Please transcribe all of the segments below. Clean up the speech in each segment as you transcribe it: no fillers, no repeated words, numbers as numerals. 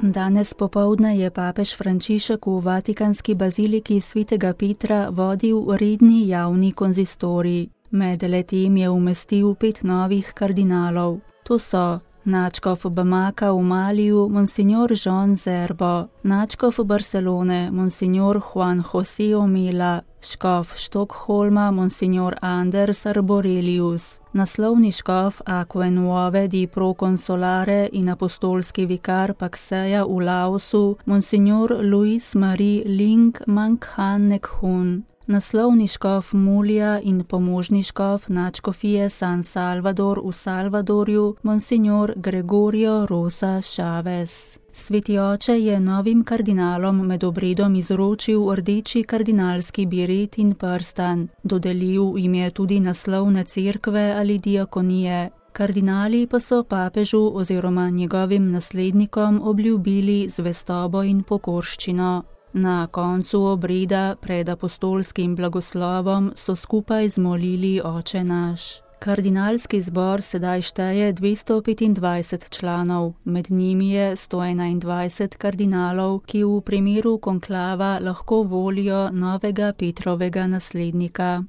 Danes popoldne je papež Frančišek v vatikanski baziliki svetega Petra vodil redni javni konzistorij. Med letem je umestil 5 novih kardinalov. To so nadškof Bamaka v Maliju, monsignor Jean Zerbo, nadškof Barcelone, monsignor Juan José Omela, škof Štokholma, monsignor Anders Arborelius, naslovni škof Aquae Nuove di Proconsolare in apostolski vikar Pakseja v Laosu, monsignor Luis Marie Ling Manghan Nekhun, naslovni škof Mulja in pomožni škof nadškofije San Salvador v Salvadorju, monsignor Gregorio Rosa Chavez. Sveti oče je novim kardinalom med obredom izročil rdeči kardinalski biret in prstan. Dodelil jim je tudi naslovne cerkve ali diakonije. Kardinali pa so papežu oziroma njegovim naslednikom obljubili zvestobo in pokorščino. Na koncu obreda pred apostolskim blagoslovom so skupaj zmolili Oče naš. Kardinalski zbor sedaj šteje 225 članov, med njimi je 121 kardinalov, ki v primeru konklava lahko volijo novega Petrovega naslednika.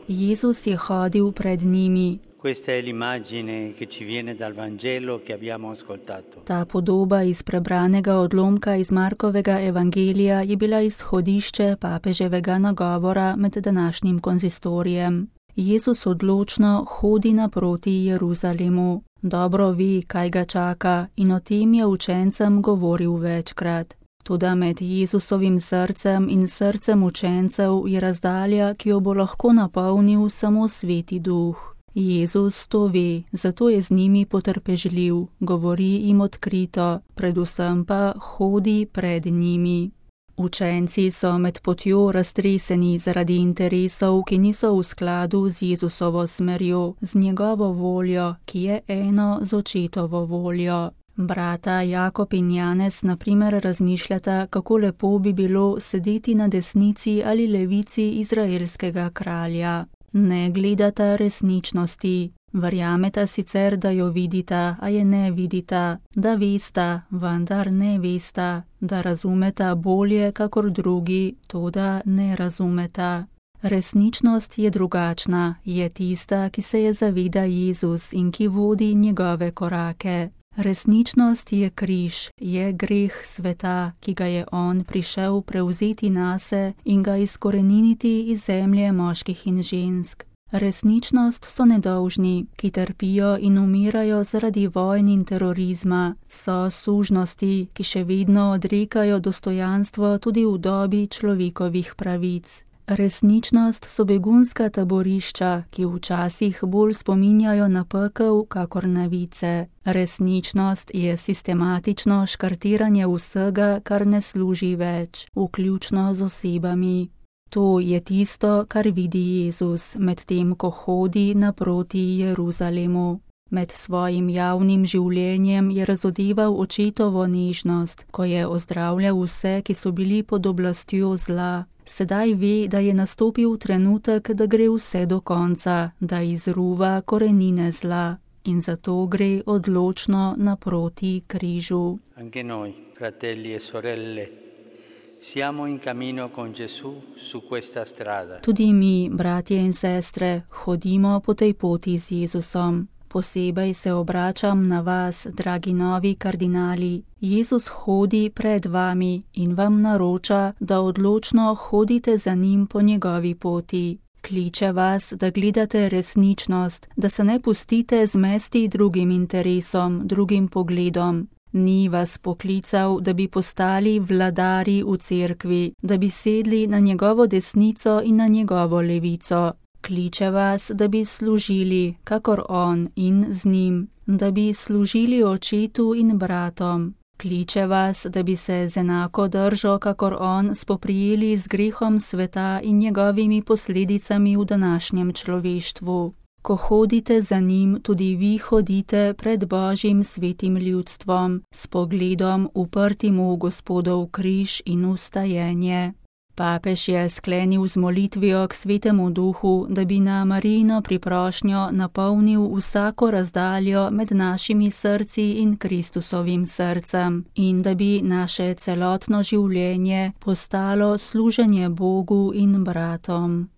Jezus je hodil pred njimi. Questa è l'immagine che ci viene dal Vangelo che abbiamo ascoltato. Ta podoba iz prebranega odlomka iz Markovega evangelija je bila izhodišče papeževega nagovora med današnjim konzistorijem. Jezus odločno hodi naproti Jeruzalemu. Dobro ve, kaj ga čaka, in o tem je učencem govoril večkrat. Toda med Jezusovim srcem in srcem učencev je razdalja, ki jo bo lahko napolnil samo Sveti Duh. Jezus to ve, zato je z njimi potrpežljiv, govori jim odkrito, predvsem pa hodi pred njimi. Učenci so med potjo raztreseni zaradi interesov, ki niso v skladu z Jezusovo smerjo, z njegovo voljo, ki je eno z očetovo voljo. Brata Jakob in Janez na primer razmišljata, kako lepo bi bilo sedeti na desnici ali levici izraelskega kralja. Ne gledata resničnosti, verjameta sicer, da jo vidita, a je ne vidita, da vesta, vendar ne vesta, da razumeta bolje kakor drugi, toda ne razumeta. Resničnost je drugačna, je tista, ki se je zaveda Jezus in ki vodi njegove korake. Resničnost je križ, je greh sveta, ki ga je on prišel prevzeti nase in ga izkoreniniti iz zemlje moških in žensk. Resničnost so nedolžni, ki trpijo in umirajo zaradi vojn in terorizma, so sužnosti, ki še vedno odrekajo dostojanstvo tudi v dobi človekovih pravic. Resničnost so begunska taborišča, ki včasih bolj spominjajo na pekel kakor na vice. Resničnost je sistematično škartiranje vsega, kar ne služi več, vključno z osebami. To je tisto, kar vidi Jezus, medtem ko hodi naproti Jeruzalemu. Med svojim javnim življenjem je razodeval očetovo nežnost, ko je ozdravljal vse, ki so bili pod oblastjo zla. Sedaj ve, da je nastopil trenutek, da gre vse do konca, da izruva korenine zla. In zato gre odločno naproti križu. Anche noi, fratelli e sorelle, siamo in cammino con Gesù su questa strada. Tudi mi, bratje in sestre, hodimo po tej poti z Jezusom. Posebej se obračam na vas, dragi novi kardinali. Jezus hodi pred vami in vam naroča, da odločno hodite za njim po njegovi poti. Kliče vas, da gledate resničnost, da se ne pustite zmesti drugim interesom, drugim pogledom. Ni vas poklical, da bi postali vladari v cerkvi, da bi sedli na njegovo desnico in na njegovo levico. Kliče vas, da bi služili, kakor on in z njim, da bi služili očetu in bratom. Kliče vas, da bi se z enako držo, kakor on, spoprijeli z grehom sveta in njegovimi posledicami v današnjem človeštvu. Ko hodite za njim, tudi vi hodite pred Božjim svetim ljudstvom, s pogledom uprtim v Gospodov križ in v stajenje. Papež je sklenil z molitvijo k Svetemu Duhu, da bi na Marijino priprošnjo napolnil vsako razdaljo med našimi srci in Kristusovim srcem in da bi naše celotno življenje postalo služenje Bogu in bratom.